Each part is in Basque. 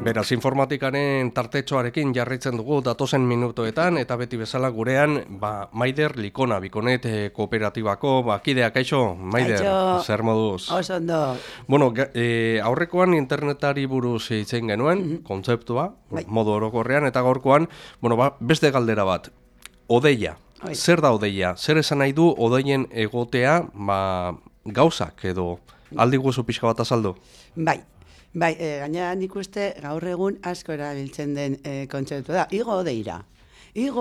Beraz, informatikaren tartetxoarekin jarraitzen dugu datozen minutoetan, eta beti bezala gurean, Maider Likona, Bikonet kooperatibako, kideak, kaixo, Maider, zer moduz? Oso ondo. Bueno, aurrekoan internetari buruz hitzen genuen, kontzeptua, modu orokorrean, eta gaurkoan, beste galdera bat, odeia. Zer da odeia? Zer esan nahi du odeien egotea, gauzak edo aldi guzu pixka bat azaldu? Bai, gainera nik uste gaur egun asko erabiltzen den kontzeptu da. Igo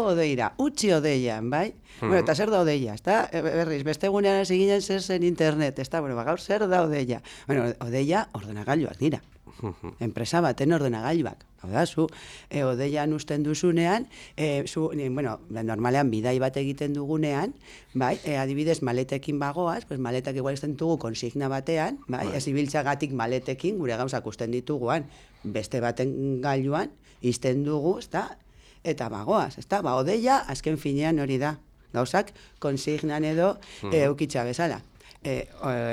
odeira, utzi odeian, bai? Bueno, eta zer da odeia, ezta? Berriz, beste egunean hasi ginen zer zen internet, ezta? Bueno, gaur zer da odeia? Bueno, odeia ordenagailuak dira. Enpresa baten ordenagailuak. Hau da, zu odeian usten duzunean, normalean bidai bat egiten dugunean, bai, adibidez maletekin bagoaz, pues maletak igual usten dugu konsigna batean, bai, ez ibiltzagatik maletekin gure gauzak usten dituguan, beste baten gailuan, izten dugu, ezta? Eta bagoaz, ezta? Odeia, azken finean hori da. Gauzak konsignan edo eukitza bezala.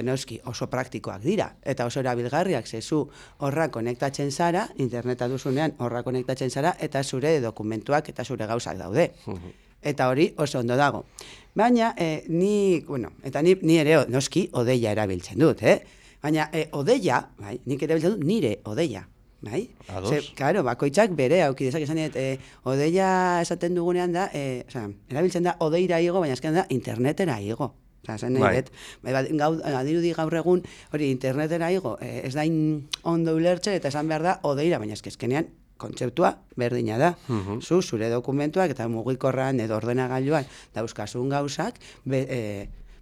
Noski oso praktikoak dira, eta oso erabilgarriak, zezu horra konektatzen zara, interneta duzunean horra konektatzen zara, eta zure dokumentuak eta zure gauzak daude. Eta hori oso ondo dago. Baina, ni ere noski odeia erabiltzen dut, baina odeia, nik erabiltzen dut nire odeia. Bai? Claro, bakoitzak bere aukidezak esan dut, odeia esaten dugunean da, erabiltzen da odeira igo, baina esken da internetera igo. Adirudi gaur egun hori internetera igo, ez da ondo ulertzen eta esan behar da odeira, baina eskenean kontzeptua berdina da. Zure dokumentuak eta mugikorran edo ordenagailuan dauzkasun gauzak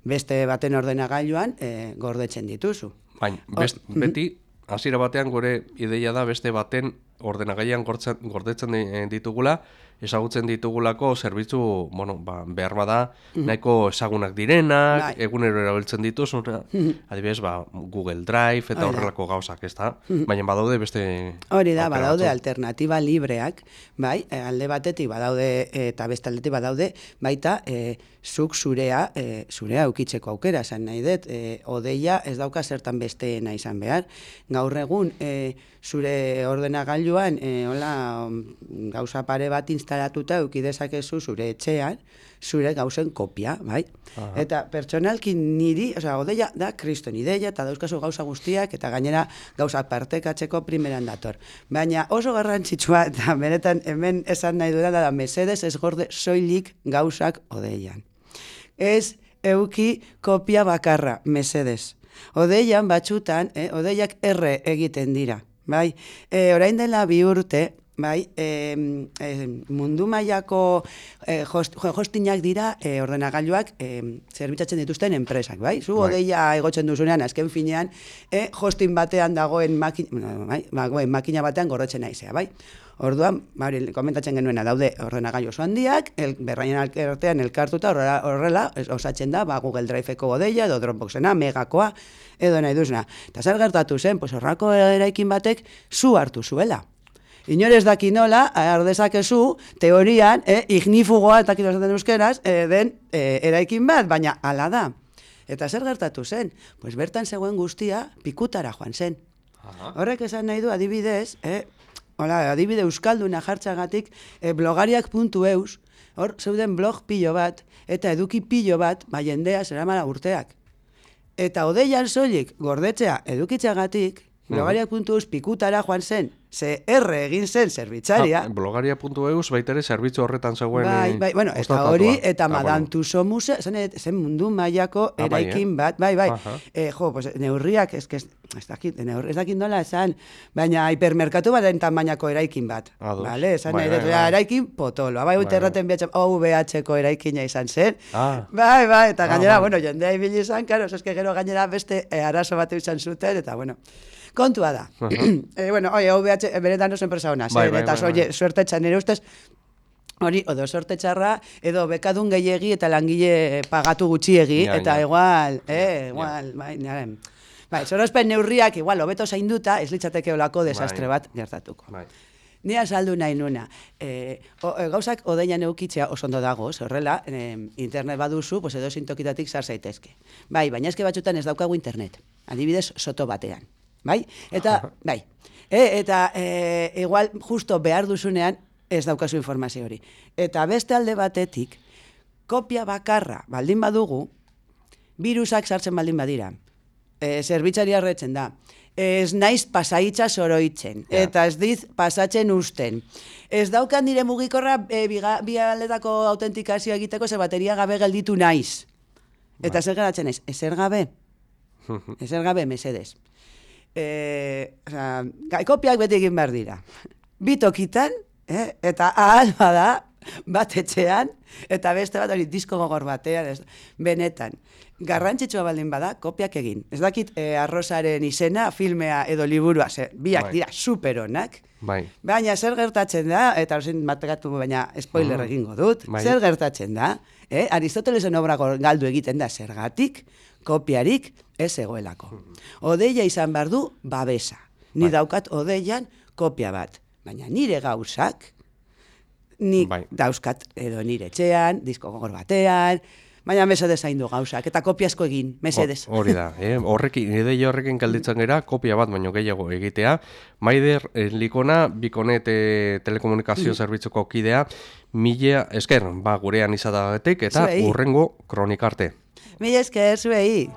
beste baten ordenagailuan gordetzen dituzu. Baina, beti, hasiera batean gure ideia da beste baten ordenagailuan gordetzen ditugula, ezagutzen ditugulako zerbitzu, behar bada, nahiko ezagunak direnak, egunero erabiltzen dituz, adibidez, Google Drive eta horrelako gauzak, ez da? Baina badaude beste... Hori da, badaude alternatiba libreak, bai, alde batetik badaude eta beste aldetik badaude, baita, zuk zurea eukitzeko aukera, esan nahi dut, odeia ez dauka zertan besteena izan behar. Gaur egun, zure ordenagailuan, gauza pare bat instalatuta eukidezakezu zure etxean, zure gauzen kopia, bai? Eta pertsonalki niri, odeia da kriston ideia, eta dauzkazu gauza guztiak, eta gainera gauzak partekatzeko primeran dator. Baina oso garrantzitsua, eta benetan hemen esan nahi duela, da mesedez ez gorde soilik gauzak odeian. Ez euki kopia bakarra, mesedez. Odeian batxutan, odeiak erre egiten dira. Bai, orain dela 2 urte, bai, mundu mailako hostinak dira ordenagailuak zerbitzatzen dituzten enpresak, bai? Zu odeia egotzen duzunean, azken finean, hosting batean dagoen makina batean gordetzen naizea, bai? Orduan, komentatzen genuena daude ordenagailu oso handiak, berraien artean elkartuta horrela osatzen da, Google Drive-eko odeia, edo Dropboxena, Megakoa, edo nahi duzuna. Eta zer gertatu zen, horrako eraikin batek zu hartu zuela. Inorez daki nola, ardezakezu, teorian, ignifugoa, eta kito esaten euskeraz, den eraikin bat, baina hala da. Eta zer gertatu zen? Bertan zegoen guztia pikutara joan zen. Horrek esan nahi du, adibidez, adibide euskalduna jartzagatik, blogariak.eus, hor zeuden blog pilo bat, eta eduki pilo bat, jendea zeramala urteak. Eta odeian soilik gordetzea edukitzagatik, blogariak.eus pikutara joan zen, ze erre egin zen zerbitzaria. Blogaria.eus baita ere zerbitzu horretan zegoen... Bai, eta hori, eta Madame Tussauds musea, zen mundu mailako eraikin bat, bai. Neurriak, ez dakit nola esan, baina hipermerkatu baten tamainako eraikin bat. Esan nahi dut, eraikin potoloa, bai, erraten OVH-ko eraikina izan zen. Bai, eta gainera, jendea ibili izan, karo, gero gainera beste arazo bat izan zuten, eta kontua da. OVH, beretan oso enpresa hona, eta suertetxan nire ustez, hori, odo sortetxarra, edo bekadun gehiegi eta langile pagatu gutxiegi, eta igual, sorospen neurriak, igual, hobeto zainduta, ez litzateke olako desastre bat gertatuko. Ni azaldu nahi nuna, gauzak odeian eukitzea oso ondo dago, horrela, internet baduzu, edo zintokitatik zar zaitezke. Baina eske batzutan ez daukagu internet, adibidez soto batean. bai? Eta, bai, eta igual justo behar duzunean ez daukazu informazio hori. Eta beste alde batetik, kopia bakarra baldin badugu, virusak sartzen baldin badira. Zerbitzari arretzen da. Ez naiz pasaitza soroitzen, eta ez diz pasatzen usten. Ez daukan nire mugikorra bi aldetako autentikazioa egiteko ze bateria gabe gelditu naiz. Eta zer geratzen naiz? Ezer gabe? Ezer gabe, mesedez. Kopiak beti egin behar dira. Bitokitan, eta ahal bada, bat etxean, eta beste bat hori disko gogor batean, benetan. Garrantzitsua baldin bada, kopiak egin. Ez dakit arrozaren izena, filmea edo liburua, biak dira superonak, baina zer gertatzen da, eta horzen matekatu baina spoiler egingo dut, zer gertatzen da, Aristotelesen obra galdu egiten da zergatik, kopiarik ez egoelako. Odeia izan behar du babesa. Ni daukat odeian kopia bat, baina nire gauzak, nik dauzkat edo nire etxean, disko gogor batean, baina mesedez zaindu gauzak, eta kopia asko egin, mesedez. Hori da, ideia horrekin kalditzen gera, kopia bat baino gehiago egitea. Maider Likona, Bikonet telekomunikazio zerbitzuko kidea, mila esker, gurean izatagatik, eta hurrengo kronikarte. Mila esker, zuei.